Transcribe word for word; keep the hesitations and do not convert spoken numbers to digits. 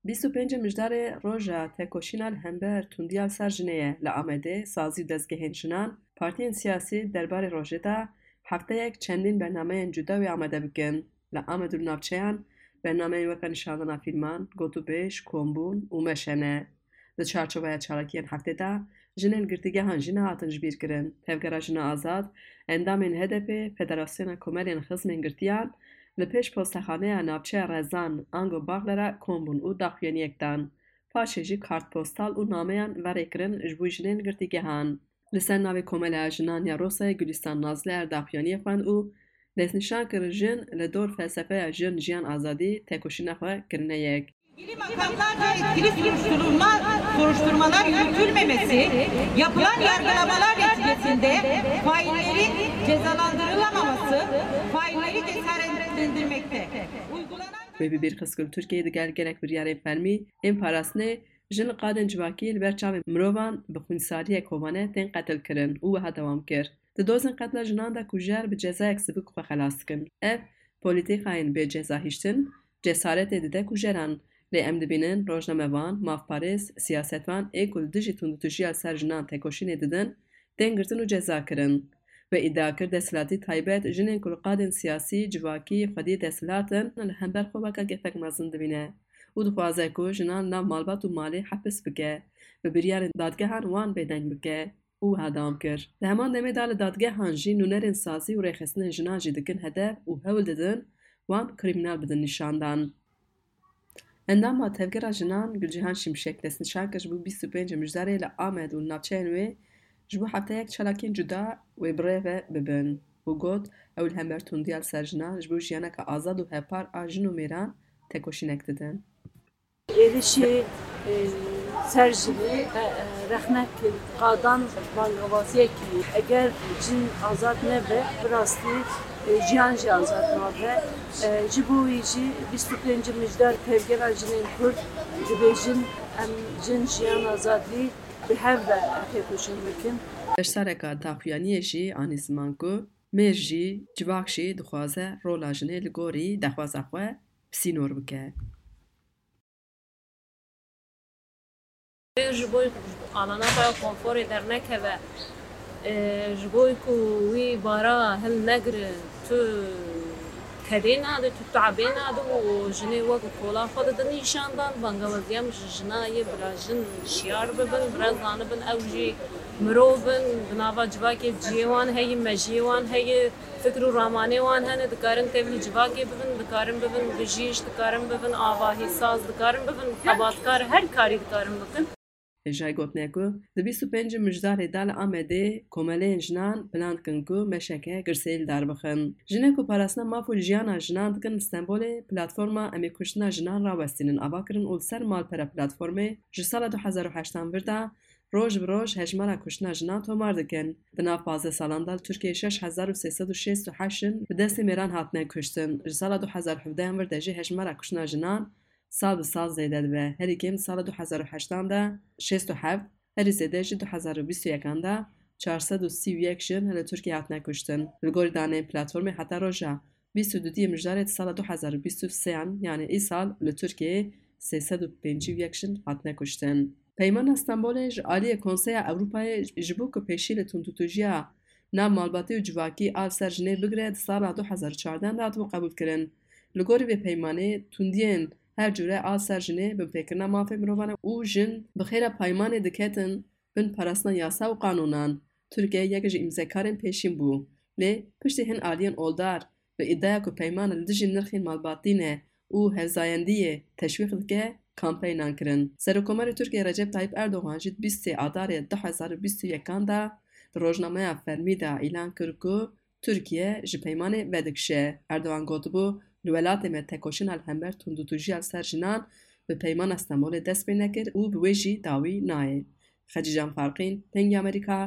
Bîst û pêncê Mijdarê roja tekoşîna li hember tundiya li ser jinê ye. Li Amedê sazî û dezgehên jinan, partiyên siyasî derbarê rojê de hefteyek çendîn bernameyên cuda wê amade bikin. Li Amed û li navçeyan bernameyên weke nîşandana fîlman, gotûbêj, kombûn û meşe ne. Di çarçoveya çalakiyên heftê de jinên girtîgehan jî nehatin jibîrkirin. Tevgera Jina Azad, endamên H D P, Federasyona Komelên Xizmên Girtiyan, li pêş postexaneya navçeya Rezan, ango Baxlera kom bûn û daxuyaniyek dan. Paşê jî kartpostal û nameyan verê kirin ji bo jinên girtîgehan. Li ser navê Komeleya Jinan ya Rosayê Gulîstan Nazli er daxuyaniyê xwend û destnîşan kir, jin li dor felsefeya jin, jiyan, azadî tekoşîna xwe kirine yek. İlgili makamlarca etkili soruşturulma, soruşturmalar yürütülmemesi, yapılan yargılamalar neticesinde faillerin cezalandırılamaması failleri cesaretlendirmekte. Uygulanan Wê bi bîr xist ku li Tirkiyeyê digel gelek biryarên fermî ên parastinê, jin li qadên civakî li ber çavên mirovan bi xwînsariyek hovane tên qetil kirin û wiha dewam kir. Di dozên qetla jinan de kujer bi cezayek sivik xwe xelas dikin. Ev polîtîkayên bê ceza hiştin cesaretê dide kujeran. Lê em dibînin rojnamevan, mafparêz, siyasetvan ê ku li dijî tundûtûjiya li ser jinan tekoşînê didin, tên girtin û ceza kirin. Wê îdia kir desthilatî taybet jinên ku li qadên siyasî, civakî, xwediyê desthilat in, li hember xwe weke gefek mezin dibîne û dixwaze ku jinan li nav malbat û malê hepis bike, bi biryarên dadgehan wan bêdeng bike. Û wiha dewam kir, di heman demê de li dadgehan jî nûnerên sazî û rêxistinên jinan jî dikin hedef û hewl didin wan krîmînal bidin nîşandan. Endama Tevgera Jinan Gulcihan Şimşek destnîşan kir ji bo bîst û pêncê Mijdarê li Amed û li navçeyên wê ji bo hefteyek çalakiyên cuda wê bi rê ve bibin û got, ew li hember tundiya li ser jinan ji bo jiyaneke azad û hevpar a jin û mêran tekoşînek didin. Êrişê, e, ser jinê, e, e, rexnek qadan bangawaziyekî. Eger cin azad nebe, bi rastî, e, jiyan jî azad nabe. E, ji bo wî jî bîst û pêncê Mijdar Tevgera Jinên Kurd dibêjin, em cin, jiyan, azadî bi hev ve têkoşîn bikin. Beşdareka daxuyaniyê jî anî ziman ku mêr jî, civak jî dixwaze rola jinê li gorî daxwaza xwe bi sînor bike. Ji bo alana xwe ya konforê dernekeve, e, ji bo ku wî bara hilnegire, tu kedê nade, tu tabê nade û jinê wek kola xwe dide nîşan dan, bangawaziya min ji jina ye, bila jin şiyar bibin, bila zanibin ew jî mirov in, di nava civakê cihê wan heye, mejiyê wan heye. Fikr û ramanê wan hene, dikarin tevlî civakê bibin, dikarin bibin bijîş, dikarin bibin avahî saz, dikarin bibin xebatkar, her karî dikarin bikin. Hêjayî gotine ku di bîst û pêncê Mijdarê de li Amedê komeleyên jinan plan dikin ku meşeke girseyî li dar bixin. Jinê ku parastina maf û jiyana jinan dikin li Stenbolê platforma Em ê kuştina jinan rawestînin ava kirin û li ser Malpera platformê ji sala du hezar û heştan vir de roj bi roj hejmara kuştina jinan tomar dikin. Di nav pazdeh salan de li Tirkiyeyê şeş hezar û sê sed û şêst û heşt jin bi destê mêran hatine kuştin. Ji sala du hezar û hevdehan vir de jî hejmara kuştina jinan sal bi sal zêde dibe. Herî kêm di sala du hezar û heştan de şêst û heft, herî zêde jî du hezar û bîst û yekan de çar sed û sî û yek jin li Tirkiyeyê hatine kuştin. Li gorî daneyên platformê heta roja bîst û duyê Mijdarê di sala du hezar û bîst û sêyan, yanî îsal li Tirkiyeyê sê sed û pêncî û yek jin hatine kuştin. Peymana Stenbolê ji aliyê Konseya Ewropayê ji bo ku pêşî li tundûtûjiya nav malbatî û civakî a li ser jinê bigire, di sala du hezar û çardeh de hatibû qebûlkirin. Li gorî vê peymanê, tundiyên her cûre a li ser jinê binpêkirina mafê mirovan e û jin bi xêra peymanê diketin bin parastina yasa û qanûnan. Tirkiye yek ji îmzekarên pêşîn bû, lê piştî hin aliyên oldar bi îdiaya ku peyman li dijî nirxên malbatî ne û hevzayendiyê teşwîq dike, kampeynan kirin. Serokkomarê Tirkiyê Recep Tayyip Erdogan jî di bîst û sê Adarê du hezar û bîst û yekan de di rojnameya fermî de îlan kir ku Tirkiye ji peymanê vedikişe. Erdogan gotibû, li welatê me tekoşîna li hember tundûtûjiya li ser jinan bi Peymana Stenbolê dest pê nekir û bi wê jî dawî nayê. Xecîcan Farqîn, Dengê Amerîka,